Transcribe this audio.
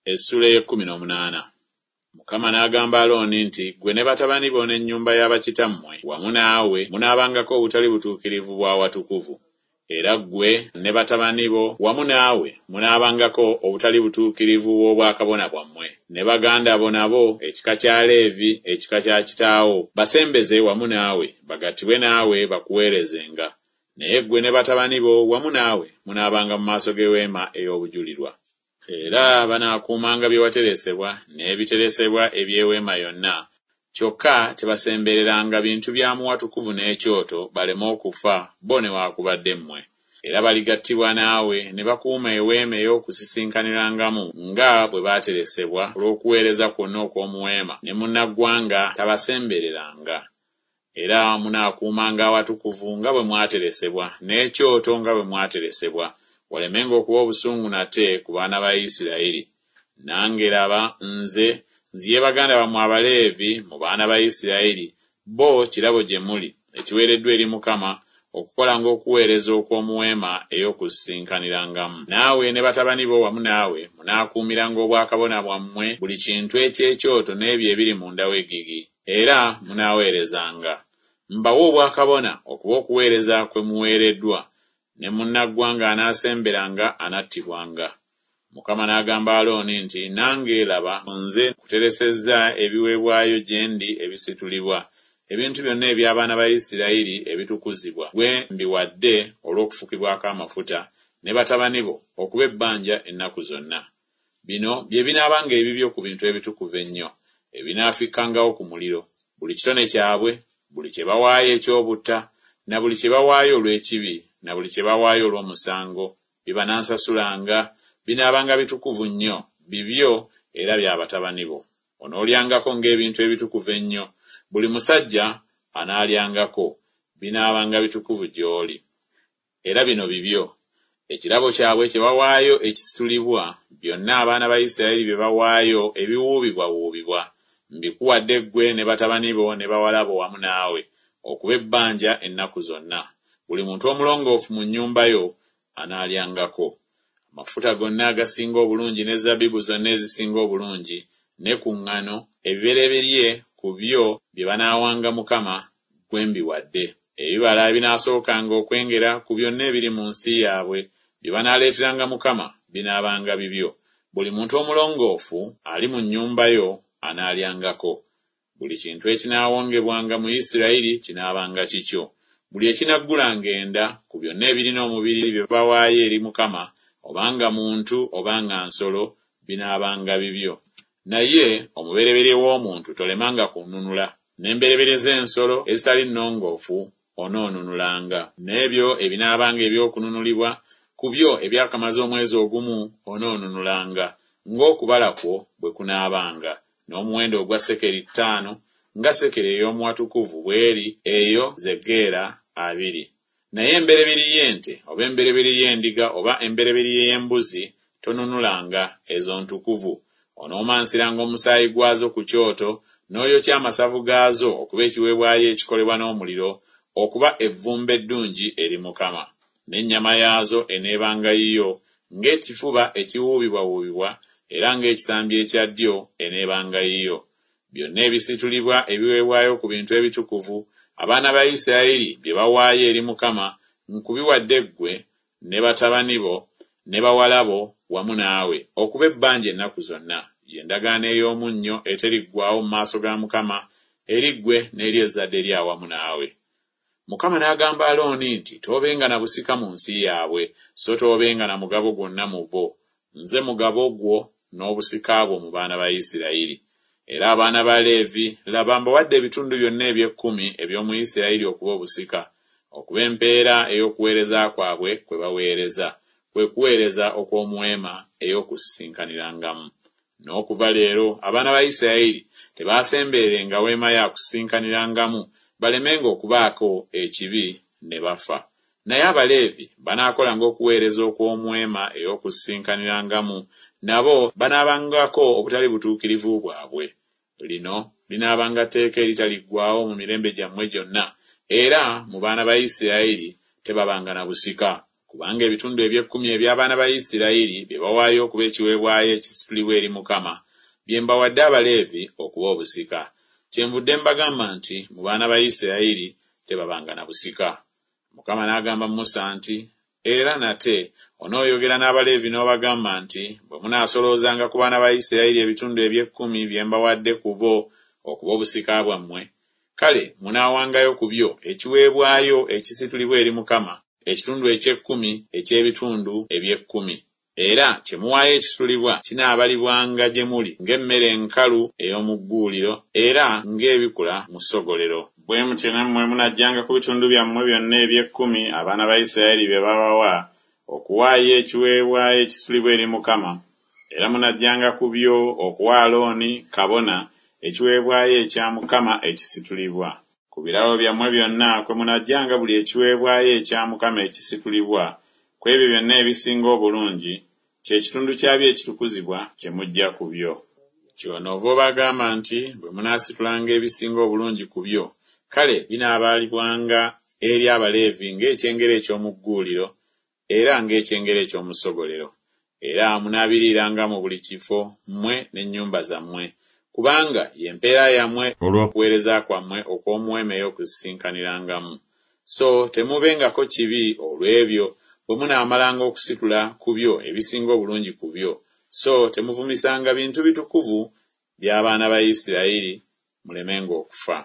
Essuula ey'ekkumi n'omunaana. Mukama n'agamba Alooni nti, Ggwe ne batabani bo n'ennyumba ya bakitammwe wamu naawe munaabangako obutali butuukirivu bw'awatukuvu. Era ggwe ne batabani bo wamu naawe munaabangako obutali butuukirivu bw'obwakabona bwammwe. Ne baganda bo nabo, ekika kya Leevi, ekika kya kitaawo, basembeze wamu naawe, bagattibwe naawe bakuweerezenga. Naye ggwe ne batabani bo wamu naawe munaabanga mu maaso g'eweema ey'obujulirwa. Era banaakuumanga bye wateresebwa n'ebiteresebwa eby'eweema yonna, kyokka tebasembereranga bintu bya mu watukuvu n'ekyoto, baleme okufa, bo newaakubadde mmwe. Era baligattibwa naawe ne bakuuma eweema ey'okusisinkanirangamu nga bwe baateresebwa olw'okuweereza kwonna okw'omu weema, ne munnaggwanga tabasembereranga. Era munaakuumanga awatukuvu nga bwe mwateresebwa, n'ekyoto nga bwe mwateresebwa, walemenga okuba obusungu nate ku baana ba Isiraeri. Nange, laba, nze nziye baganda bammwe Abaleevi mu baana ba Isiraeri, bo kirabo gye muli, ekiweereddwa eri Mukama, okukolanga okuweereza okw'omu weema ey'okusisinkanirangamu. Naawe ne batabani bo wamu naawe munaakuumiranga obwakabona bwammwe buli kintu eky'ekyoto n'ebyo ebiri munda w'eggigi, era munaaweerezanga. Mbawa obwakabona okuba okuweereza kwe muweereddwa, ne munnaggwanga anaasemberanga anattibwanga. Mukama n'agamba Alooni nti, Nange, laba, nze nkuteresezza ebiweebwayo gye ndi ebisitulibwa, ebintu byonna eby'abaana ba Isirayiri ebitukuzibwa, ggwe mbiwadde olw'okufukibwako amafuta, ne batabani bo, okuba ebbanja ennaku zonna. Bino bye binaabanga ebibyo ku bintu ebitukuvu ennyo, ebinaafikkangawo ku muliro, buli kitone kyabwe, buli kye bawaayo eky'obutta, na buli kye bawaayo olw'ekibi, na buli kye bawaayo olw'omusango, bye banansasulanga, binaabanga bitukuvu nnyo, bibyo era bya batabani bo. Onoolyangako ng'ebintu ebitukuvu ennyo, buli musajja anaalyangako, binaabanga bitukuvu gy'oli. Era bino bibyo, ekirabo kyabwe kye bawaayo ekisitulibwa, byonna abaana ba Isirayiri bye bawaayo ebiwuubibwawuubibwa, mbikuwadde ggwe ne batabani bo ne bawala bo wamu naawe, okuba ebbanja ennaku zonna. Buli muntu omulongoofu mu nnyumba yo anaalyangako. Amafuta gonna agasinga obulungi ne zabbibu zonna ezisinga obulungi, ne ku ŋŋano, ebibereberye ku byo bye banaawanga Mukama, ggwe mbiwadde. Ebibala ebinaasookanga okwengera ku byonna ebiri mu nsi yaabwe, bye banaaleeteranga Mukama, binaabanga bibyo. Buli muntu omulongoofu ali mu nnyumba yo anaalyangako. Buli kintu ekinaawongebwanga mu Isirayiri kinaabanga kikyo. Buli ekinaggulanga enda ku byonna ebirina omubiri bye bawaayo eri Mukama, oba nga muntu oba nga nsolo, binaabanga bibyo. Naye omubereberye w'omuntu tolemanga kununula, n'embereberye z'ensolo ezitali nnongoofu onoonunulanga. N'ebyo ebinaabanga eby'okununulibwa, ku byo ebyakamaze omwezi ogumu onoonunulanga, ng'okubala kwo bwe kunaabanga, n'omuwendo ogwa sekeri ttaano, nga sekeri ey'omu watukuvu bw'eri, eyo ze geera abiri. Naye embereberye y'ente oba embereberye y'endiga oba embereberye y'embuzi tonunulanga, ezo ntukuvu. Onoomansiranga omusaayi gwazo ku kyoto, n'oyokya amasavu gaazo okuba ekiweebwayo ekikolebwa n'omuliro, okuba evvumbe eddungi eri Mukama. N'ennyama yaazo eneebanga yiyo, ng'ekifuba ekiwuubibwawuubibwa era ng'ekisambi ekya ddyo eneebanga yiyo. Byonna ebisitulibwa ebiweebwayo ku bintu ebitukuvu, abaana ba Isirayiri bye bawaayo eri Mukama, nkubiwadde ggwe ne batabani bo ne bawala bo wamu naawe, okuba ebbanja ennaku zonna, ye ndagaano ey'omunnyo eteriggwaawo mu maaso ga Mukama eri ggwe n'eri ezzadde lyo awamu naawe. Mukama n'agamba Alooni nti Toobenga na busika mu nsi yaabwe, so toobenga na mugabo gwonna mu bo, nze mugabo gwo n'obusika bwo mu baana ba Isirayiri. Era abaana ba Leevi, laba, mbawadde ebitundu byonna eby'ekkumi eby'omu Isirayiri okuba obusika, okuba empeera ey'okuweereza kwabwe kwe baweereza, kwe kuweereza okw'omu weema ey'okusisinkanirangamu. N'okuva leero abaana ba Isirayiri tebaasembererenga weema ya kusisinkanirangamu, balemenga okubaako ekibi ne bafa. Naye Abaleevi banaakolanga okuweereza okw'omu weema ey'okusisinkanirangamu, nabo banaabangako obutali butuukirivu bwabwe. Lino linaabanga tteeka eritaliggwaawo mu mirembe gyammwe gyonna, era mu baana ba Isirayiri tebabanga na busika. Kubanga ebitundu eby'ekkumi eby'abaana ba Isirayiri bye bawaayo okuba ekiweebwayo ekisitulibwa eri Mukama, bye mbawadde Abaleevi okuba obusika. Kyenvudde mbagamba nti Mu baana ba Isirayiri tebabanga na busika. Mukama n'agamba Musa nti, Era nate onooyogera n'Abaleevi n'obagamba nti Bwe munaasoloozanga ku baana ba Isirayiri ebitundu eby'ekkumi bye mbawadde ku bo okuba obusika bwammwe, kale munaawangayo ku byo ekiweebwayo ekisitulibwa eri Mukama, ekitundu eky'ekkumi eky'ebitundu eby'ekkumi. Era kye muwaayo ekisitulibwa kinaabalibwanga gye muli ng'emmere enkalu ey'omu gguuliro era ng'ebikula mu ssogolero. Bwe mutyo nammwe munaggyanga ku bitundu byammwe byonna eby'ekkumi abaana ba Isiraeri bye babawa, okuwaayo ekiweebwayo ekisitulibwa eri Mukama, era munaggyanga ku byo okuwa Alooni kabona ekiweebwayo ekya Mukama ekisitulibwa. Ku birabo byammwe byonna kwe munaggyanga buli ekiweebwayo ekya Mukama ekisitulibwa, ku ebyo byonna ebisinga obulungi, kye kitundu kyabyo ekitukuzibwa kye muggya ku byo. Kyonoova obagamba nti Bwe munaasitulanga ebisinga obulungi ku byo, kale binaabalibwanga eri Abaleevi ng'ekyengera eky'omu gguuliro era ng'ekyengera eky'omu ssogolero, era munaabiriiranga mu buli kifo mmwe n'ennyumba zammwe, kubanga ye mpeera yammwe olw'okuweereza kwammwe okw'omu weema ey'okusisinkanirangamu. So temuubengako kibi olw'ebyo, bwe munaamalanga okusitula ku byo ebisinga obulungi ku byo, so temuvumisanga bintu bitukuvu by'abaana ba Isiraeri, mulemenga okufa.